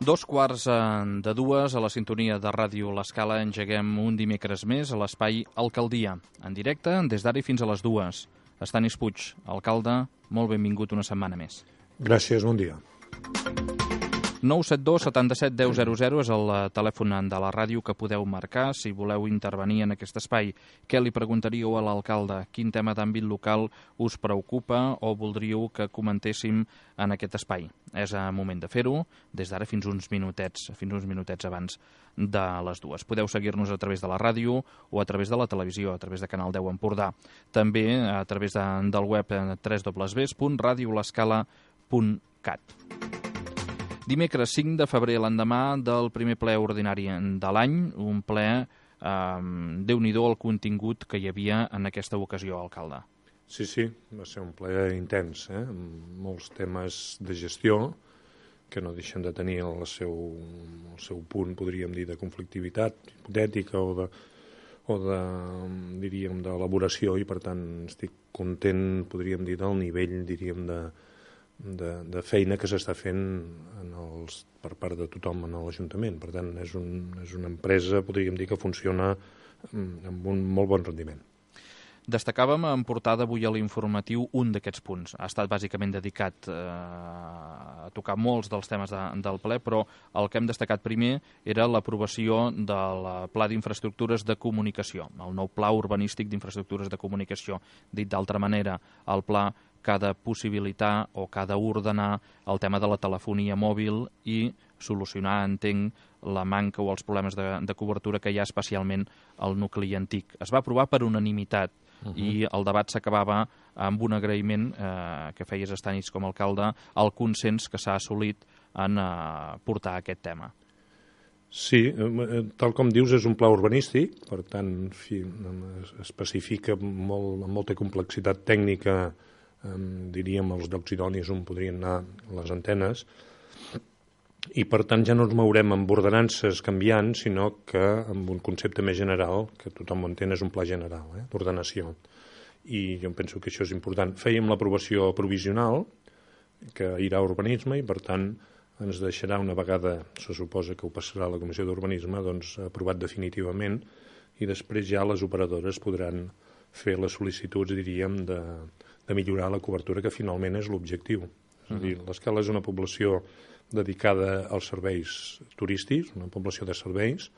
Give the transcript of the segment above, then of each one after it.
2:15 a la sintonia de Ràdio L'Escala engeguem un dimecres més a l'espai Alcaldia, en directe des d'ara i fins a les 2. Estanis Puig, alcalde, molt benvingut una setmana més. Gràcies, bon dia. 972 77 10 00 és el telèfon de la ràdio que podeu marcar si voleu intervenir en aquest espai. Què li preguntaríeu a l'alcalde? Quin tema d'àmbit local us preocupa o voldríeu que comentéssim en aquest espai? És el moment de fer-ho des d'ara fins uns minutets abans de les 2. Podeu seguir-nos a través de la ràdio o a través de la televisió, a través de Canal 10 Empordà. També a través del web www.radiolescala.cat. Dimecres 5 de febrer, l'endemà del primer ple ordinari de l'any, un ple, Déu-n'hi-do el contingut que hi havia en aquesta ocasió, alcalde. Sí, va ser un ple intens, amb molts temes de gestió que no deixen de tenir el seu punt, podríem dir, de conflictivitat hipotètica o d'elaboració, i per tant estic content, podríem dir, del nivell, diríem, de feina que s'està fent per part de tothom en l'Ajuntament. Per tant, és una empresa, podríem dir, que funciona amb un molt bon rendiment. Destacàvem en portada avui a l'informatiu un d'aquests punts. Ha estat bàsicament dedicat a tocar molts dels temes del ple, però el que hem destacat primer era l'aprovació del Pla d'Infraestructures de Comunicació, el nou Pla Urbanístic d'Infraestructures de Comunicació. Dit d'altra manera, el pla que ha de possibilitar o que ha d'ordenar el tema de la telefonia mòbil i solucionar, entenc, la manca o els problemes de cobertura que hi ha especialment al nucli antic. Es va aprovar per unanimitat i el debat s'acabava amb un agraïment que feies, Estanis, com a alcalde, al consens que s'ha assolit en portar aquest tema. Sí, tal com dius, és un pla urbanístic, per tant, especifica amb molta complexitat tècnica, diríem, els llocs idonis on podrien anar les antenes, i per tant ja no ens mourem amb ordenances canviants, sinó que amb un concepte més general, que tothom entén, és un pla general d'ordenació. I jo penso que això és important. Fèiem l'aprovació provisional, que irà a urbanisme, i per tant ens deixarà, una vegada se suposa que ho passarà a la Comissió d'Urbanisme, doncs aprovat definitivament, i després ja les operadores podran fer les sol·licituds, diríem, de millorar la cobertura, que finalment és l'objectiu. És a dir, l'Escala és una població dedicada als serveis turístics, una població de serveis,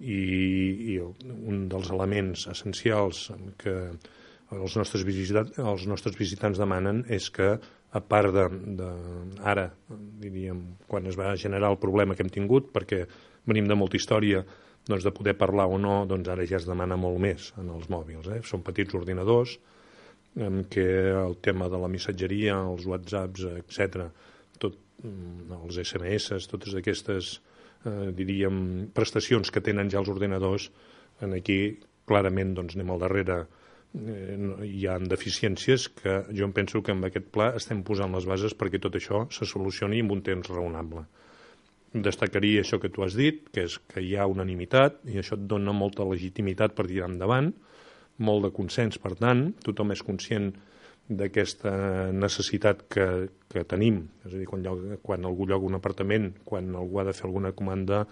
i un dels elements essencials que els nostres visitants demanen és que, a part ara, diríem, quan es va generar el problema que hem tingut, perquè venim de molta història, doncs de poder parlar o no, doncs ara ja es demana molt més en els mòbils. Són petits ordinadors, en què el tema de la missatgeria, els whatsapps, etc., els SMS, totes aquestes, diríem, prestacions que tenen ja els ordinadors, aquí clarament anem al darrere. Hi ha deficiències que jo em penso que amb aquest pla estem posant les bases perquè tot això se solucioni en un temps raonable. Destacaria això que tu has dit, que és que hi ha unanimitat, i això et dona molta legitimitat per tirar endavant, molt de consens, per tant, tothom és conscient d'aquesta necessitat que tenim. És a dir, quan algú lloga un apartament, quan algú ha de fer alguna comanda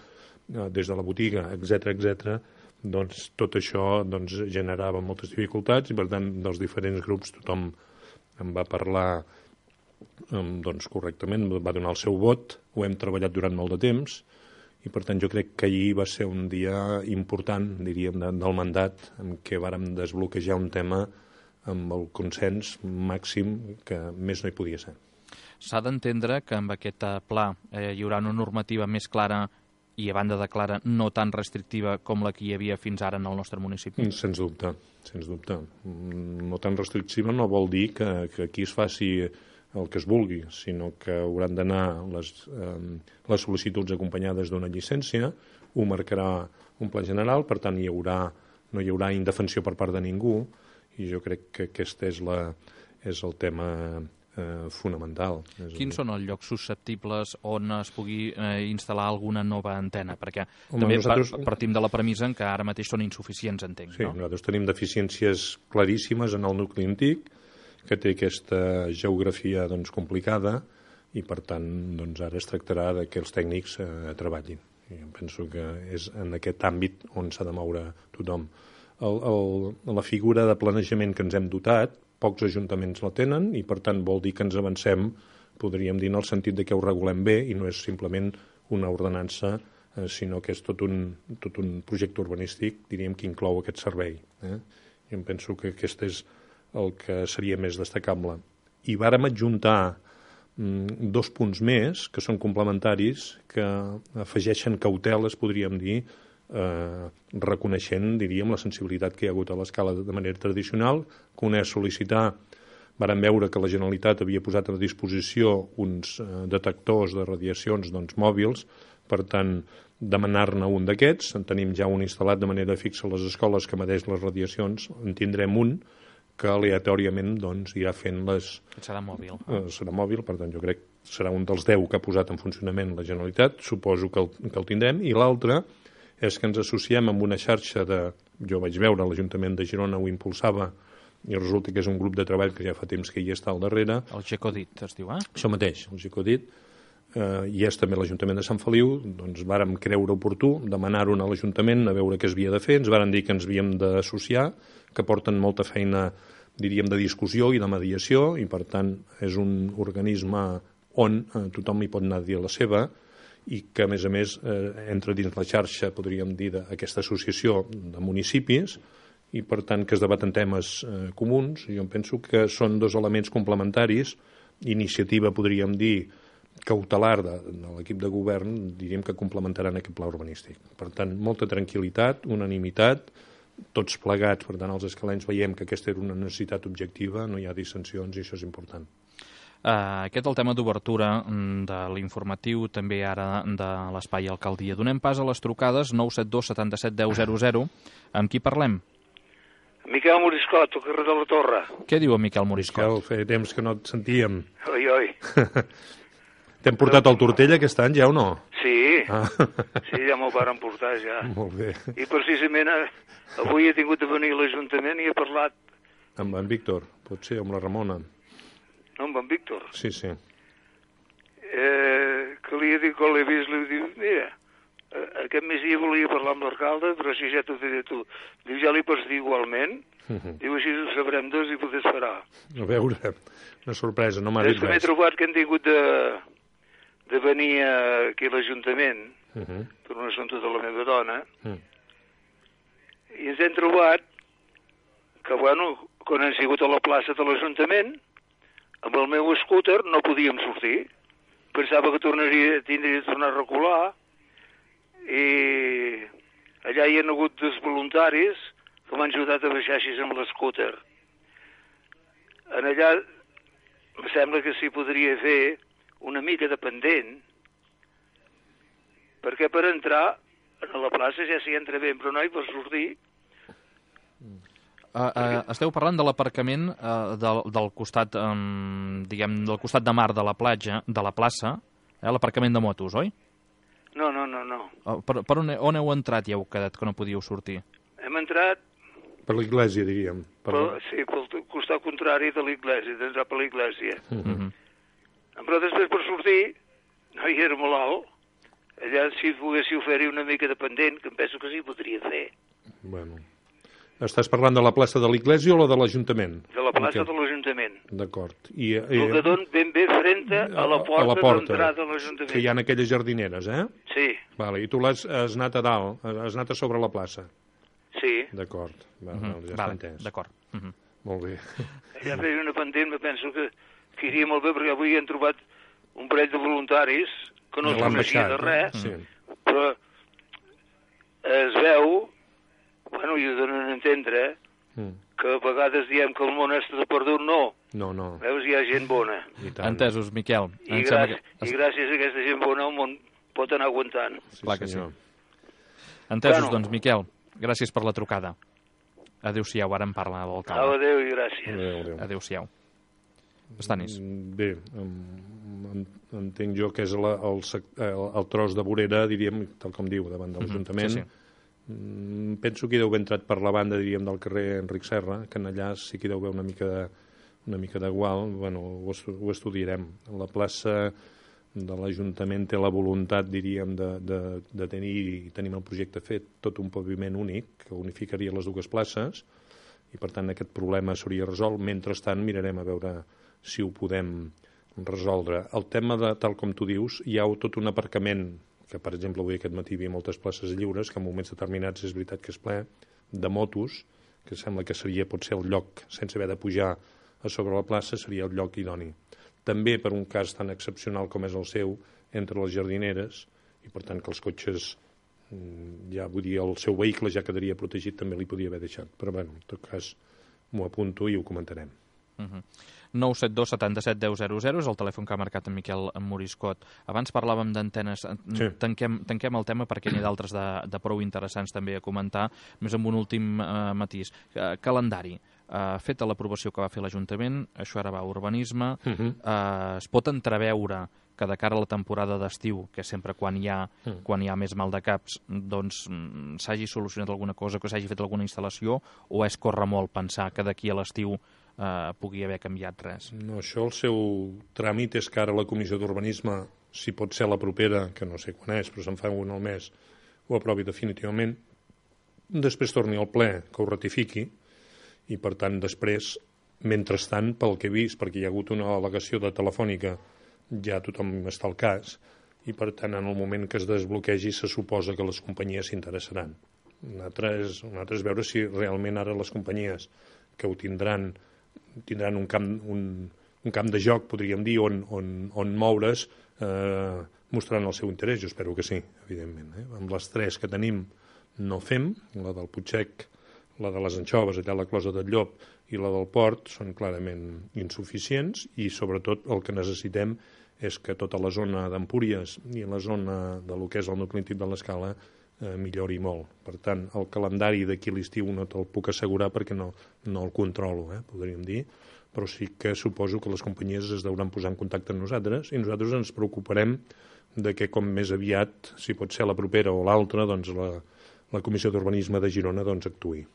des de la botiga, etc., doncs tot això generava moltes dificultats, i per tant dels diferents grups tothom en va parlar correctament, va donar el seu vot, ho hem treballat durant molt de temps, i per tant jo crec que ahir va ser un dia important, diríem, del mandat, en què vàrem desbloquejar un tema amb el consens màxim, que més no hi podia ser. S'ha d'entendre que amb aquest pla hi haurà una normativa més clara i, a banda de clara, no tan restrictiva com la que hi havia fins ara en el nostre municipi? Sens dubte, sens dubte. No tan restrictiva no vol dir que aquí es faci el que es vulgui, sinó que hauran d'anar les sol·licituds acompanyades d'una llicència, ho marcarà un pla general, per tant no hi haurà indefensió per part de ningú, i jo crec que aquest és el tema fonamental. Quins són els llocs susceptibles on es pugui instal·lar alguna nova antena? Perquè també partim de la premissa que ara mateix són insuficients, entenc. Sí, nosaltres tenim deficiències claríssimes en el nucli antic, que té aquesta geografia complicada, i per tant doncs, ara es tractarà que els tècnics treballin. I em penso que és en aquest àmbit on s'ha de moure tothom. La figura de planejament que ens hem dotat, pocs ajuntaments la tenen i per tant vol dir que ens avancem, podríem dir, en el sentit de que ho regulem bé i no és simplement una ordenança, sinó que és tot un projecte urbanístic, diríem, que inclou aquest servei. I em penso que aquest és el que seria més destacable. I vàrem adjuntar 2 punts més, que són complementaris, que afegeixen cauteles, podríem dir, reconeixent, diríem, la sensibilitat que hi ha hagut a l'escala de manera tradicional, que un és sol·licitar. Vàrem veure que la Generalitat havia posat a disposició uns detectors de radiacions mòbils, per tant, demanar-ne un d'aquests. En tenim ja un instal·lat de manera fixa a les escoles que medeix les radiacions. En tindrem un que aleatòriament irà fent les... Serà mòbil. Serà mòbil, per tant, jo crec que serà un dels 10 que ha posat en funcionament la Generalitat. Suposo que el tindrem. I l'altre és que ens associem amb una xarxa de... Jo vaig veure, l'Ajuntament de Girona ho impulsava, i resulta que és un grup de treball que ja fa temps que hi està al darrere. El Gecodit es diu, Això mateix, el Gecodit. I és també l'Ajuntament de Sant Feliu. Doncs vàrem creure oportú demanar-ho a l'Ajuntament a veure què es havia de fer. Ens varen dir que ens havíem d'associar, que porten molta feina, diríem, de discussió i de mediació, i per tant és un organisme on tothom hi pot anar a dir la seva, i que a més entra dins la xarxa, podríem dir, d'aquesta associació de municipis, i per tant que es debaten temes comuns. Jo penso que són 2 elements complementaris, iniciativa, podríem dir, cautelar de l'equip de govern, diríem que complementaran aquest pla urbanístic. Per tant, molta tranquil·litat, unanimitat, tots plegats, per tant, els escalens veiem que aquesta era una necessitat objectiva, no hi ha dissensions i això és important. Aquest el tema d'obertura de l'informatiu, també ara de l'Espai Alcaldia. Donem pas a les trucades 972 77 10 00. Amb qui parlem? Miquel Moriscot, al carrer de la Torre. Què diu en Miquel Moriscot? Miquel, feia temps que no et sentíem. Oi. T'hem portat el Tortell aquest any, ja o no? Sí, sí, ja m'ho varen portar, ja. Molt bé. I precisament avui he tingut de venir a l'Ajuntament i he parlat... Amb en Víctor, potser, amb la Ramona. No, amb en Víctor. Sí. Que li he dit, quan l'he vist, li he dit, mira, aquest migdia volia parlar amb l'alcalde, però si ja t'ho diré tu. Diu, ja li pots dir igualment. Diu, així ho sabrem 2 i poder esperar. A veure, una sorpresa, no m'ha dit res. M'he trobat que han tingut de venir aquí a l'Ajuntament per un assumpte de la meva dona i ens hem trobat que, bueno, quan hem sigut a la plaça de l'Ajuntament, amb el meu scooter no podíem sortir. Pensava que tindria de tornar a recular i allà hi ha hagut 2 voluntaris que m'han ajudat a baixar així amb l'escúter. En allà em sembla que s'hi podria fer una mica de pendent, perquè per entrar a la plaça ja s'hi entra bé, però no hi pots sortir. Esteu parlant de l'aparcament del costat, diguem, del costat de mar de la platja, de la plaça, l'aparcament de motos, oi? No. Per on heu entrat i heu quedat que no podíeu sortir? Hem entrat... Per l'església, diríem. Sí, pel costat contrari de l'església, d'entrar per l'església. Però després per sortir, no hi era molt alt. Allà si poguéssiu fer-hi una mica de pendent, que em penso que sí podria fer. Bueno. Estàs parlant de la plaça de l'església o la de l'Ajuntament? De la plaça de l'Ajuntament. D'acord. El que don ben bé frente a la porta d'entrada de l'Ajuntament. Que hi ha aquelles jardineres, Sí. Vale. I tu has anat a dalt, has anat a sobre la plaça? Sí. D'acord. Ja està entès. D'acord. Molt bé. Allà feia una pendent, me penso que iria molt bé, perquè avui hem trobat un parell de voluntaris que no es coneixia de res, però es veu, bueno, i ho donen a entendre, que a vegades diem que el món està de perdut, no. No. Veus, hi ha gent bona. Entesos, Miquel. I gràcies a aquesta gent bona el món pot anar aguantant. Clar que sí. Entesos, doncs, Miquel, gràcies per la trucada. Adéu-siau, ara en parla l'alcalde. Adéu i gràcies. Adéu-siau. Estanis. Bé, entenc jo que és el tros de vorera, diríem, tal com diu, davant de l'Ajuntament. Sí. Penso que hi deu haver entrat per la banda, diríem, del carrer Enric Serra, que en allà sí que hi deu haver una mica una mica d'igual, bueno, ho estudiarem. La plaça de l'Ajuntament té la voluntat, diríem, de tenir, i tenim el projecte fet, tot un paviment únic que unificaria les dues places, i per tant aquest problema s'hauria resolt. Mentrestant mirarem a veure si ho podem resoldre. El tema de, tal com tu dius, hi ha tot un aparcament, que per exemple avui aquest matí hi havia moltes places lliures, que en moments determinats és veritat que és ple, de motos, que sembla que seria potser el lloc, sense haver de pujar a sobre la plaça, seria el lloc idoni. També per un cas tan excepcional com és el seu, entre les jardineres, i per tant que els cotxes, ja vull dir, el seu vehicle ja quedaria protegit, també li podia haver deixat. Però bueno, en tot cas m'ho apunto i ho comentarem. 972 77 10 00 és el telèfon que ha marcat en Miquel Moriscot. Abans parlàvem d'antenes. Sí. Tanquem el tema perquè n'hi ha d'altres de prou interessants també a comentar, més amb un últim matís. Calendari. Feta l'aprovació que va fer l'Ajuntament, això ara va a urbanisme, es pot entreveure que de cara a la temporada d'estiu, que sempre quan hi ha més mal de caps, doncs s'hagi solucionat alguna cosa, que s'hagi fet alguna instal·lació, o és córrer molt pensar que d'aquí a l'estiu pugui haver canviat res? No, això el seu tràmit és que ara la Comissió d'Urbanisme, si pot ser la propera, que no sé quan és, però se'n fa un al mes, ho aprovi definitivament, després torni al ple que ho ratifiqui, i per tant després, mentrestant, pel que he vist, perquè hi ha hagut una al·legació de Telefònica, ja tothom està al cas, i per tant en el moment que es desbloquegi se suposa que les companyies s'interessaran. Un altre és veure si realment ara les companyies que ho tindran un camp de joc, podríem dir, on moure's, mostraran el seu interès. Jo espero que sí, evidentment. Amb les tres que tenim no fem, la del Putxec, la de les Anxoves, allà a la Closa del Llop, i la del Port, són clarament insuficients, i sobretot el que necessitem és que tota la zona d'Empúries i la zona de lo que és el nucli antic de l'Escala millori molt. Per tant, el calendari d'aquí a l'estiu no te'l puc assegurar perquè no el controlo, podríem dir, però sí que suposo que les companyies es deuran posar en contacte amb nosaltres i nosaltres ens preocuparem de que com més aviat, si pot ser la propera o l'altra, doncs la Comissió d'Urbanisme de Girona doncs actuï.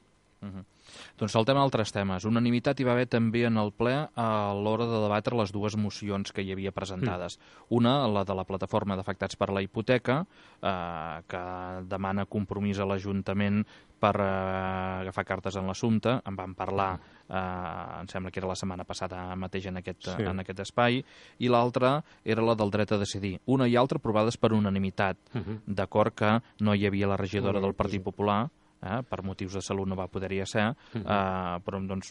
Doncs saltem a altres temes. Unanimitat hi va haver també en el ple a l'hora de debatre les dues mocions que hi havia presentades. Una, la de la plataforma d'afectats per la hipoteca, que demana compromís a l'Ajuntament per agafar cartes en l'assumpte. En vam parlar, em sembla que era la setmana passada mateix en aquest espai. I l'altra era la del dret a decidir. Una i altra aprovades per unanimitat, d'acord que no hi havia la regidora del Partit Popular, per motius de salut no va poder-hi ser, però doncs,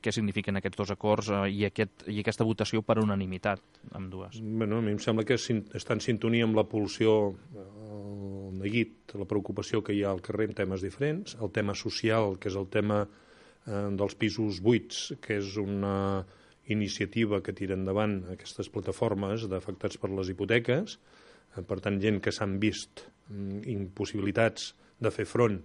què signifiquen aquests dos acords i aquesta votació per unanimitat, amb dues? Bueno, a mi em sembla que està en sintonia amb la pulsió, el neguit, la preocupació que hi ha al carrer en temes diferents, el tema social, que és el tema dels pisos buits, que és una iniciativa que tira endavant aquestes plataformes d'afectats per les hipoteques, per tant, gent que s'han vist impossibilitats de fer front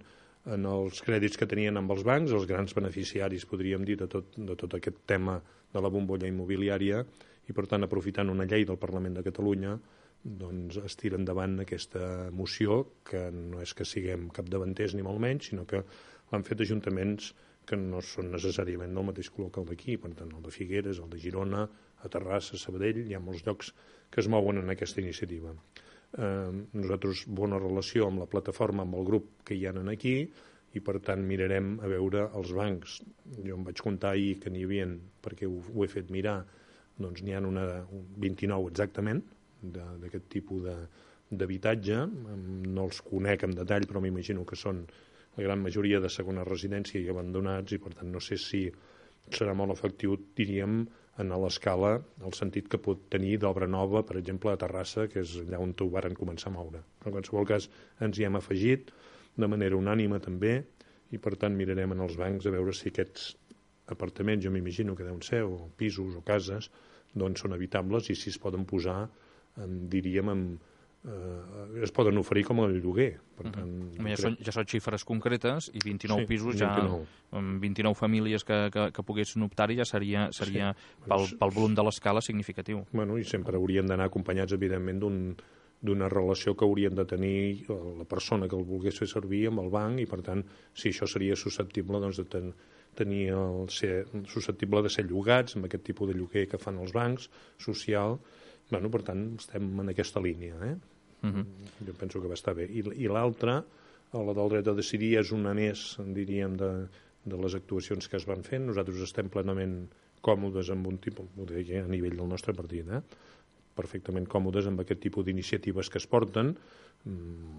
en els crèdits que tenien amb els bancs, els grans beneficiaris, podríem dir, de tot aquest tema de la bombolla immobiliària, i per tant, aprofitant una llei del Parlament de Catalunya, doncs es tira endavant aquesta moció, que no és que siguem capdavanters ni molt menys, sinó que l'han fet ajuntaments que no són necessàriament del mateix color que el d'aquí, per tant, el de Figueres, el de Girona, a Terrassa, Sabadell, hi ha molts llocs que es mouen en aquesta iniciativa. Nosaltres bona relació amb la plataforma, amb el grup que hi ha aquí, i per tant mirarem a veure els bancs. Jo em vaig comptar ahir que n'hi havia, perquè ho he fet mirar, doncs n'hi ha 29 exactament d'aquest tipus d'habitatge. No els conec en detall, però m'imagino que són la gran majoria de segona residència i abandonats, i per tant no sé si serà molt efectiu, diríem, en l'escala, el sentit que pot tenir d'obra nova, per exemple, a Terrassa, que és allà on ho varen començar a moure. Però en qualsevol cas ens hi hem afegit, de manera unànime també, i per tant mirarem en els bancs a veure si aquests apartaments, jo m'imagino que deuen ser, o pisos o cases, doncs són habitables i si es poden posar, diríem, es poden oferir com a lloguer. Per tant, ja són xifres concretes i 29 pisos, 29. Ja amb 29 famílies que poguessin optar-hi ja seria pel volum de l'escala significatiu. Bueno, i sempre haurien d'anar acompanyats, evidentment, d'una relació que haurien de tenir la persona que el volgués fer servir amb el banc, i per tant, si això seria susceptible doncs, de ser susceptible de ser llogats amb aquest tipus de lloguer que fan els bancs, social. Bueno, per tant, estem en aquesta línia. Jo penso que va estar bé. I l'altra, la del dret a decidir, és una més, diríem, de les actuacions que es van fent. Nosaltres estem plenament còmodes amb un tipus, ho deia a nivell del nostre partit, perfectament còmodes amb aquest tipus d'iniciatives que es porten.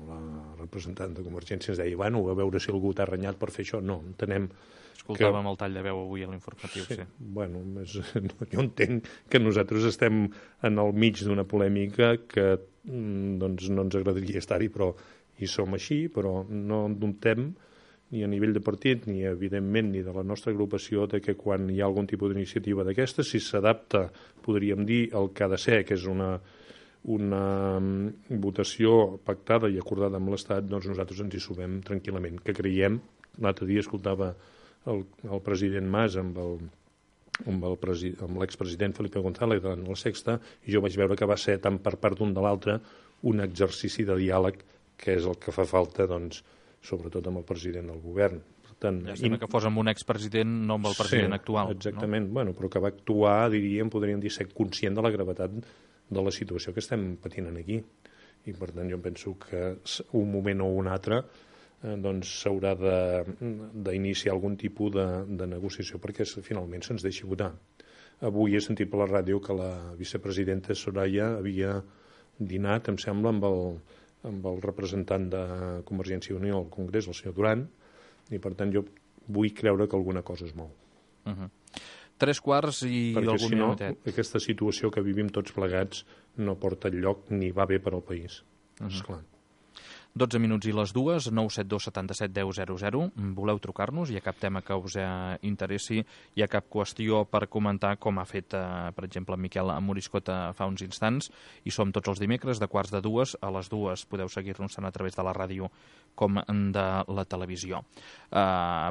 La representant de Convergència ens deia, bueno, a veure si algú t'ha renyat per fer això. No, entenem... Escoltàvem el tall de veu avui a l'informatiu, sí. Bueno, jo entenc que nosaltres estem en el mig d'una polèmica que doncs, no ens agradaria estar-hi, però hi som així, però no dubtem ni a nivell de partit, ni evidentment ni de la nostra agrupació, de que quan hi ha algun tipus d'iniciativa d'aquesta, si s'adapta, podríem dir, el que ha de ser, que és una votació pactada i acordada amb l'Estat, doncs nosaltres ens hi sumem tranquil·lament, que creiem. L'altre dia escoltava el president Mas amb l'expresident Felipe González en la Sexta, i jo vaig veure que va ser tant per part d'un de l'altre un exercici de diàleg que és el que fa falta, doncs, sobretot amb el president del govern. Per tant, llàstima que fos amb un expresident, no amb el president actual. Exactament, no? Bueno, però que va actuar, podríem dir, ser conscient de la gravetat de la situació que estem patint aquí. I per tant jo penso que un moment o un altre doncs s'haurà d'iniciar algun tipus de negociació perquè finalment se'ns deixi votar. Avui he sentit per la ràdio que la vicepresidenta Soraya havia dinat, em sembla, amb el representant de Convergència i Unió al Congrés, el senyor Duran, i per tant jo vull creure que alguna cosa es mou. 3:15 i perquè algun minutet. Perquè si no, aquesta situació que vivim tots plegats no porta enlloc ni va bé per al país. Esclar. 12 minuts i les 2, 972 77 10 00. Voleu trucar-nos? Hi ha cap tema que us interessi? Hi ha cap qüestió per comentar, com ha fet, per exemple, en Miquel Moriscota fa uns instants? I som tots els dimecres de 1:45 a les 2. Podeu seguir-nos tant a través de la ràdio com de la televisió.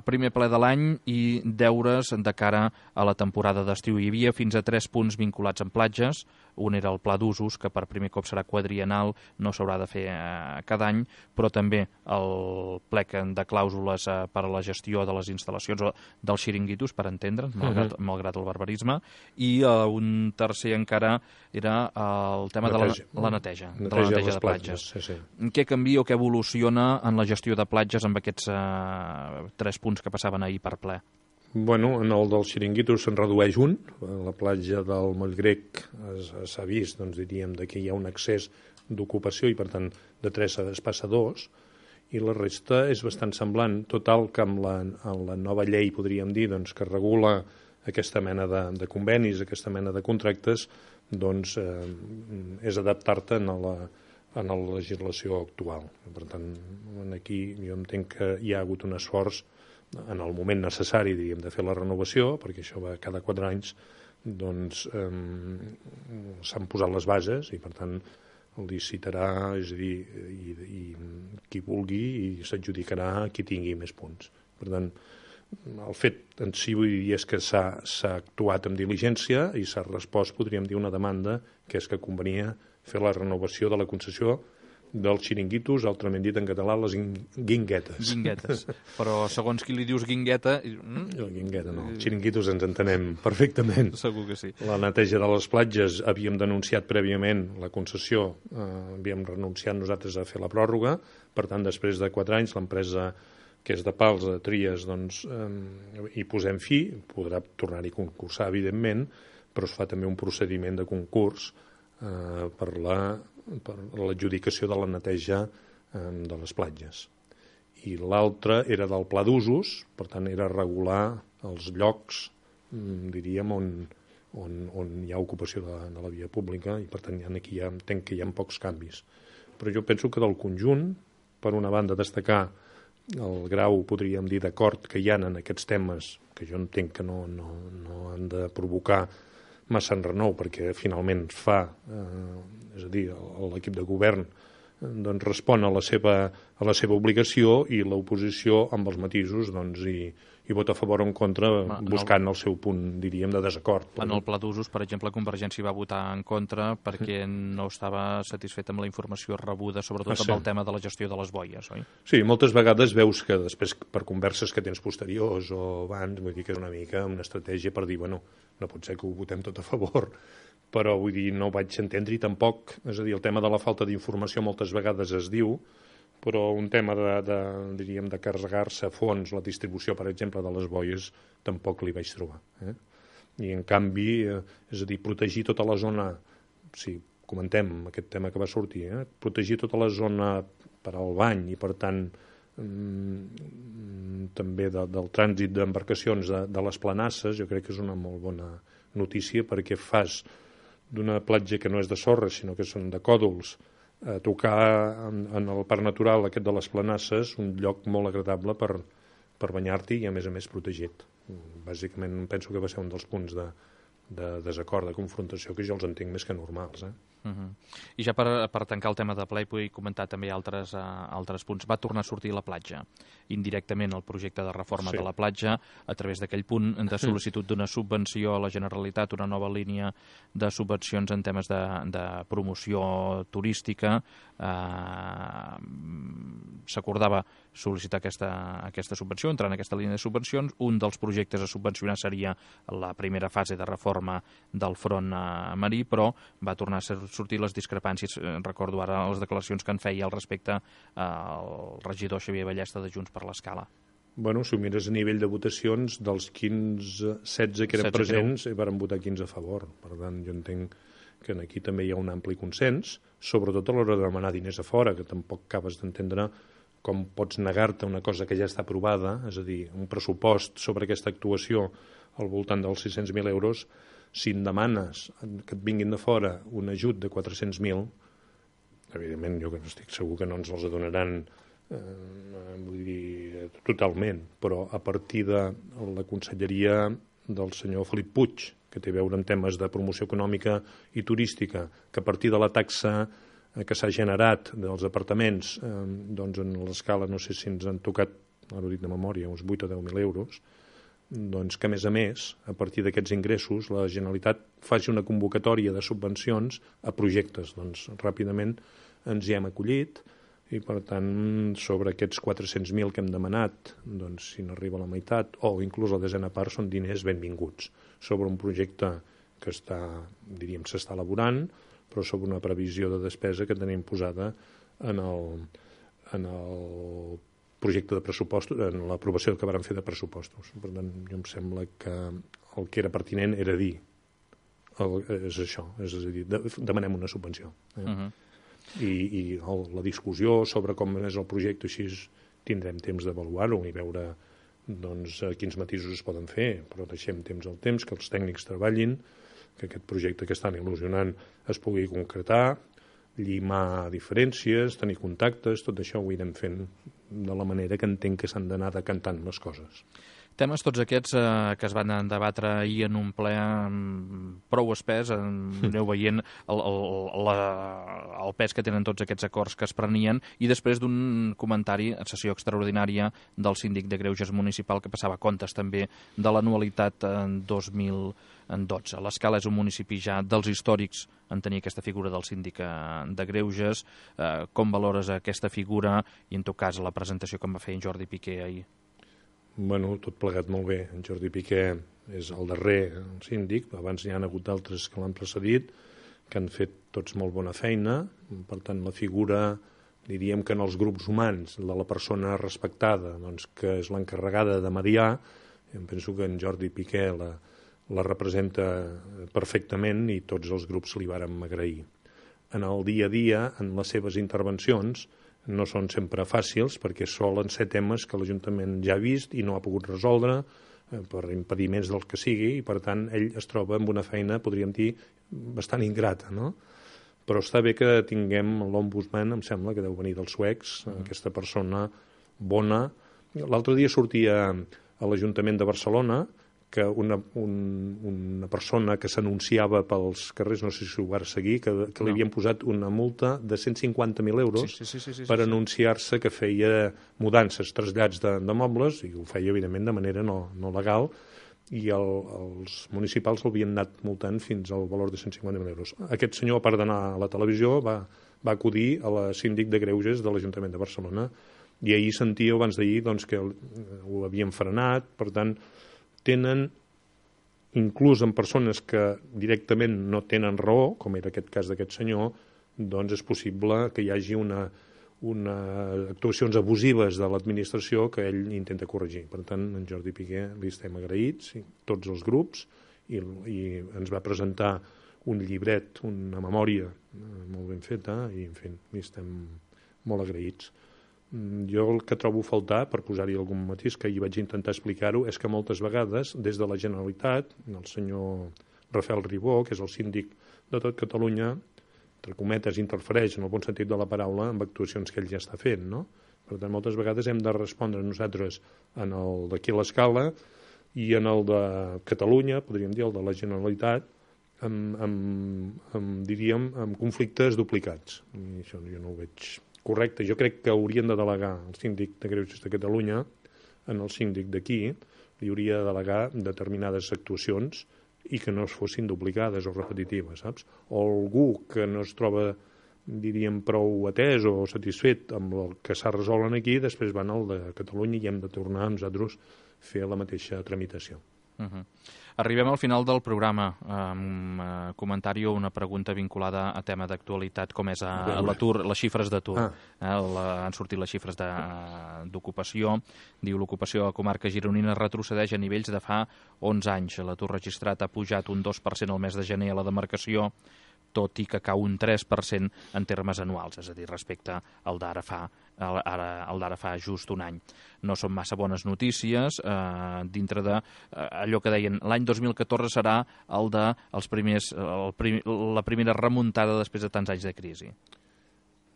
Primer ple de l'any i deures de cara a la temporada d'estiu. Hi havia fins a 3 punts vinculats amb platges. Un era el pla d'usos, que per primer cop serà quadriennal, no s'haurà de fer cada any, però també el plec de clàusules per a la gestió de les instal·lacions o dels xiringuitos, per entendre'ns, malgrat el barbarisme, i un tercer encara era el tema de la neteja de platges. Què canvia o què evoluciona en la gestió de platges amb aquests 3 punts que passaven ahir per ple? Bueno, en el dels xiringuitos se'n redueix un. A la platja del Moll Grec s'ha vist, doncs diríem, que hi ha un excés d'ocupació i, per tant, de 3 es passa a 2, i la resta és bastant semblant. Total, que amb la nova llei, podríem dir, doncs, que regula aquesta mena de convenis, aquesta mena de contractes, doncs és adaptar-te a la legislació actual. Per tant, aquí jo entenc que hi ha hagut un esforç en el moment necessari, diríem, de fer la renovació, perquè això va cada 4 anys, doncs s'han posat les bases i, per tant, el licitarà, és a dir, i qui vulgui, i s'adjudicarà qui tingui més punts. Per tant, el fet en si, vull dir, és que s'ha actuat amb diligència i s'ha respost, podríem dir, una demanda, que és que convenia fer la renovació de la concessió dels xiringuitos, altrament dit en català, les guinguetes. Guinguetes. Però segons qui li dius guingueta... Guingueta no, xiringuitos ens entenem perfectament. Segur que sí. La neteja de les platges havíem denunciat prèviament la concessió, havíem renunciat nosaltres a fer la pròrroga, per tant, després de 4 anys, l'empresa que és de Pals, de Tries, doncs hi posem fi, podrà tornar-hi a concursar, evidentment, però es fa també un procediment de concurs per l'adjudicació de la neteja de les platges. I l'altre era del pla d'usos, per tant era regular els llocs, diríem, on hi ha ocupació de la via pública, i per tant aquí entenc que hi ha pocs canvis. Però jo penso que del conjunt, per una banda destacar el grau, podríem dir, d'acord que hi ha en aquests temes, que jo entenc que no han de provocar massa enrenou, perquè finalment es fa, és a dir, l'equip de govern doncs, respon a la seva obligació i l'oposició amb els matisos doncs, i vota a favor o en contra buscant el seu punt, diríem, de desacord. En el pla d'usos, per exemple, Convergència va votar en contra perquè no estava satisfet amb la informació rebuda, sobretot amb el tema de la gestió de les boies, oi? Sí, moltes vegades veus que després, per converses que tens posteriors o abans, vull dir que és una mica una estratègia per dir, bueno, no pot ser que ho votem tot a favor, però vull dir, no ho vaig entendre i tampoc, és a dir, el tema de la falta d'informació moltes vegades es diu, però un tema diríem, de carregar-se a fons la distribució, per exemple, de les boies, tampoc li vaig trobar. I, en canvi, és a dir, protegir tota la zona, si comentem aquest tema que va sortir, protegir tota la zona per al bany i, per tant, també del trànsit d'embarcacions de les planasses, jo crec que és una molt bona notícia perquè fas d'una platja que no és de sorra, sinó que són de còdols, tocar en el parc natural aquest de les planasses un lloc molt agradable per banyar-t'hi i a més protegit. Bàsicament penso que va ser un dels punts de desacord, de confrontació, que jo els entenc més que normals. I ja per tancar el tema de ple, vull comentar també altres punts. Va tornar a sortir la platja, indirectament el projecte de reforma de la platja, a través d'aquell punt de sol·licitud d'una subvenció a la Generalitat, una nova línia de subvencions en temes de promoció turística. S'acordava sol·licitar aquesta subvenció, entrar en aquesta línia de subvencions. Un dels projectes a subvencionar seria la primera fase de reforma del front marí, però va tornar a sortir les discrepàncies. Recordo ara les declaracions que en feia al respecte el regidor Xavier Ballesta de Junts per l'Escala. Bueno, si ho mires a nivell de votacions, dels 16 que eren presents, varen votar 15 a favor. Per tant, jo entenc que aquí també hi ha un ampli consens, sobretot a l'hora de demanar diners a fora, que tampoc acabes d'entendre com pots negar-te una cosa que ja està aprovada, és a dir, un pressupost sobre aquesta actuació al voltant dels 600.000 euros, si em demanes que et vinguin de fora un ajut de 400.000, evidentment jo estic segur que no ens els donaran vull dir, totalment, però a partir de la conselleria del senyor Felip Puig, que té a veure amb temes de promoció econòmica i turística, que a partir de la taxa que s'ha generat dels apartaments, doncs en l'escala no sé si ens han tocat, ara ho dic de memòria, uns 8 o 10.000 euros, doncs que, a més, a partir d'aquests ingressos, la Generalitat faci una convocatòria de subvencions a projectes. Doncs ràpidament ens hi hem acollit i, per tant, sobre aquests 400.000 que hem demanat, doncs si n'arriba la meitat o inclús la desena part són diners benvinguts sobre un projecte que s'està elaborant, però sobre una previsió de despesa que tenim posada en el projecte de pressupostos, en l'aprovació que varen fer de pressupostos. Per tant, jo em sembla que el que era pertinent era dir és això, és a dir, demanem una subvenció. I la discussió sobre com és el projecte, així tindrem temps d'avaluar-ho i veure doncs, quins matisos es poden fer, però deixem temps al temps, que els tècnics treballin, que aquest projecte que estan il·lusionant es pugui concretar, llimar diferències, tenir contactes, tot això ho anirem fent de la manera que entenc que s'han d'anar decantant les coses. Temes tots aquests que es van debatre ahir en un ple prou espès, aneu veient el pes que tenen tots aquests acords que es prenien, i després d'un comentari en sessió extraordinària del síndic de Greuges municipal que passava comptes també de l'anualitat 2012. L'Escala és un municipi ja dels històrics en tenir aquesta figura del síndic de Greuges. Com valores aquesta figura i, en tot cas, la presentació que em va fer en Jordi Piqué ahir? Bueno, tot plegat molt bé. En Jordi Piqué és el darrer síndic, abans n'hi ha hagut d'altres que l'han precedit, que han fet tots molt bona feina. Per tant, la figura, diríem que en els grups humans, de la persona respectada, doncs, que és l'encarregada de mediar, em penso que en Jordi Piqué la representa perfectament i tots els grups li vàrem agrair. En el dia a dia, en les seves intervencions, no són sempre fàcils perquè solen ser temes que l'Ajuntament ja ha vist i no ha pogut resoldre per impediments del que sigui i, per tant, ell es troba amb una feina, podríem dir, bastant ingrata, no? Però està bé que tinguem l'ombudsman, em sembla que deu venir dels suecs, aquesta persona bona. L'altre dia sortia a l'Ajuntament de Barcelona que una persona que s'anunciava pels carrers, no sé si ho va seguir, que li havien posat una multa de 150.000 euros per anunciar-se que feia mudances, trasllats de mobles, i ho feia, evidentment, de manera no legal, i els municipals l'havien anat multant fins al valor de 150.000 euros. Aquest senyor, a part d'anar a la televisió, va acudir a la síndic de Greuges de l'Ajuntament de Barcelona, i ahir sentia, abans d'ahir, doncs, que ho havien frenat. Per tant, tenen, inclús en persones que directament no tenen raó, com era aquest cas d'aquest senyor, doncs és possible que hi hagi actuacions abusives de l'administració que ell intenta corregir. Per tant, en Jordi Piqué li estem agraïts, tots els grups, i ens va presentar un llibret, una memòria molt ben feta, i en fi, li estem molt agraïts. Jo el que trobo a faltar, per posar-hi algun matís, que hi vaig intentar explicar-ho, és que moltes vegades, des de la Generalitat, el senyor Rafael Ribó, que és el síndic de tot Catalunya, entre cometes, interfereix, en el bon sentit de la paraula, amb actuacions que ell ja està fent, no? Per tant, moltes vegades hem de respondre nosaltres en el d'aquí a l'escala i en el de Catalunya, podríem dir, el de la Generalitat, diríem, amb conflictes duplicats. I això jo no ho veig correcte. Jo crec que haurien de delegar el síndic de Greuges de Catalunya en el síndic d'aquí, li hauria de delegar determinades actuacions i que no es fossin duplicades o repetitives, saps? O algú que no es troba, diríem, prou atès o satisfet amb el que s'ha resolt aquí, després van al de Catalunya i hem de tornar a nosaltres fer la mateixa tramitació. Arribem al final del programa amb comentari o una pregunta vinculada a tema d'actualitat com és l'atur, les xifres d'atur. Han sortit les xifres d'ocupació. Diu l'ocupació a la comarca gironina retrocedeix a nivells de fa 11 anys. L'atur registrat ha pujat un 2% al mes de gener a la demarcació, tot i que cau un 3% en termes anuals, és a dir, respecte al d'ara fa just un any. No són massa bones notícies dintre de allò que deien l'any 2014 serà el de la primera remuntada després de tants anys de crisi.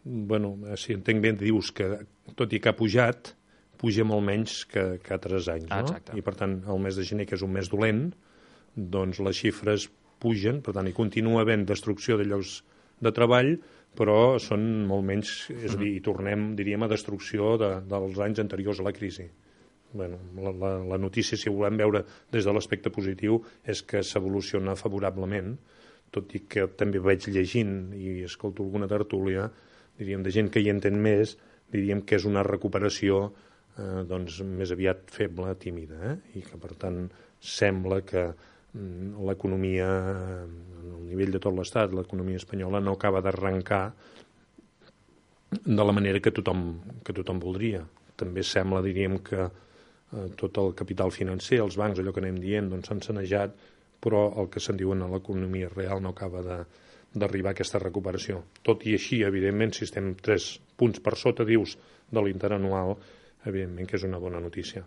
Bueno, si entenc bé, dius que tot i que ha pujat, puja molt menys que altres anys, no? Exacte. I per tant, el mes de gener, que és un mes dolent, doncs les xifres pugen, per tant, hi continua havent destrucció de llocs de treball, però són molt menys, és a dir, hi tornem, diríem, a destrucció dels anys anteriors a la crisi. Bueno, la notícia, si ho volem veure des de l'aspecte positiu, és que s'evoluciona favorablement, tot i que també vaig llegint i escolto alguna tertúlia, diríem, de gent que hi entén més, diríem que és una recuperació doncs, més aviat feble, tímida, i que, per tant, sembla que l'economia, a nivell de tot l'Estat, l'economia espanyola no acaba d'arrencar de la manera que tothom voldria. També sembla, diríem, que tot el capital financer, els bancs, allò que anem dient, doncs s'han sanejat, però el que se'n diuen a l'economia real no acaba d'arribar a aquesta recuperació. Tot i així, evidentment, si estem 3 punts per sota, dius, de l'interanual, evidentment que és una bona notícia.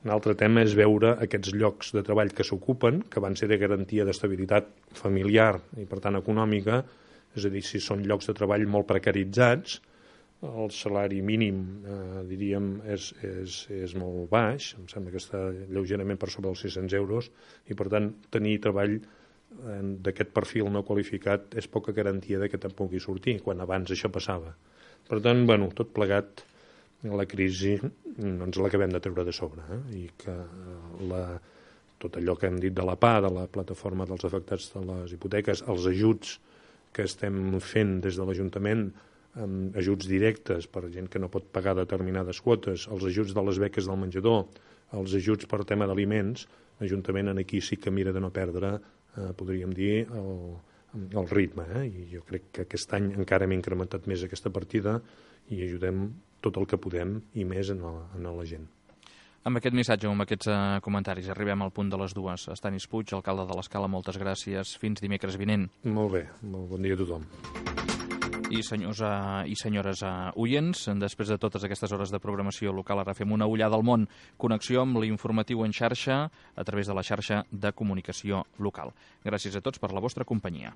Un altre tema és veure aquests llocs de treball que s'ocupen, que van ser de garantia d'estabilitat familiar i, per tant, econòmica, és a dir, si són llocs de treball molt precaritzats, el salari mínim, diríem, és molt baix, em sembla que està lleugerament per sobre dels 600 euros, i, per tant, tenir treball d'aquest perfil no qualificat és poca garantia que te'n pugui sortir, quan abans això passava. Per tant, bueno, tot plegat, la crisi no ens l'acabem de treure de sobre, i que tot allò que hem dit de la PA, de la plataforma dels afectats de les hipoteques, els ajuts que estem fent des de l'Ajuntament, ajuts directes per gent que no pot pagar determinades quotes, els ajuts de les beques del menjador, els ajuts per tema d'aliments, l'Ajuntament aquí sí que mira de no perdre, podríem dir, el ritme, i jo crec que aquest any encara hem incrementat més aquesta partida i ajudem tot el que podem i més en la gent. Amb aquest missatge, amb aquests comentaris, arribem al punt de les 2. Estanis Puig, alcalde de l'Escala, moltes gràcies. Fins dimecres vinent. Molt bé, molt bon dia a tothom. I senyors i senyores oients, després de totes aquestes hores de programació local, ara fem una ullada al món. Connexió amb l'informatiu en xarxa a través de la xarxa de comunicació local. Gràcies a tots per la vostra companyia.